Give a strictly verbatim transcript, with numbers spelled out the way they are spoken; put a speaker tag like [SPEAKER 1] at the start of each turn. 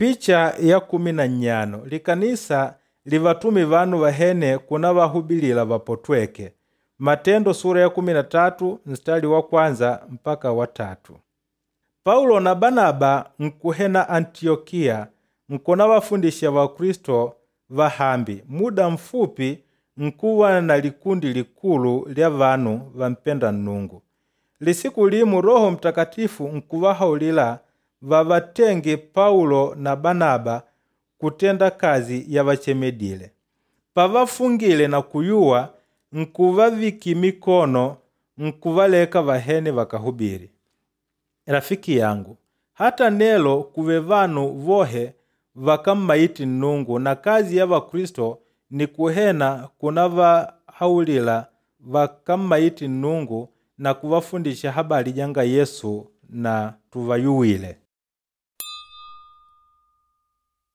[SPEAKER 1] Picha ya kumi na nnyano likanisa livatumi vanu vahene kuna vahubilila vapotweke. Matendo sura ya kumi na tatu mstari wa kwanza mpaka wa tatu. Paulo na Banaba nkuhena Antiyokiya nkuna vafundisha Vakristo vahambi muda mfupi nkuva na likundi likulu lya vanu vampenda Nnungu. Lisiku limu Roho Mtakatifu nkuvahaulila vavatenge Paulo na Banaba kutenda kazi yavachemedile. Pavafungile na kuyuwa, nkuvavikila mikono nkuvaleka vahene vakahubili. Rafiki yangu, hata nelo kuve vanu vohe vakammaiti Nnungu na kazi ya Vakristo ni kuhena kunavahaulila vakammaiti Nnungu na kuvafundisha habali janga Yesu na tuvayuwile.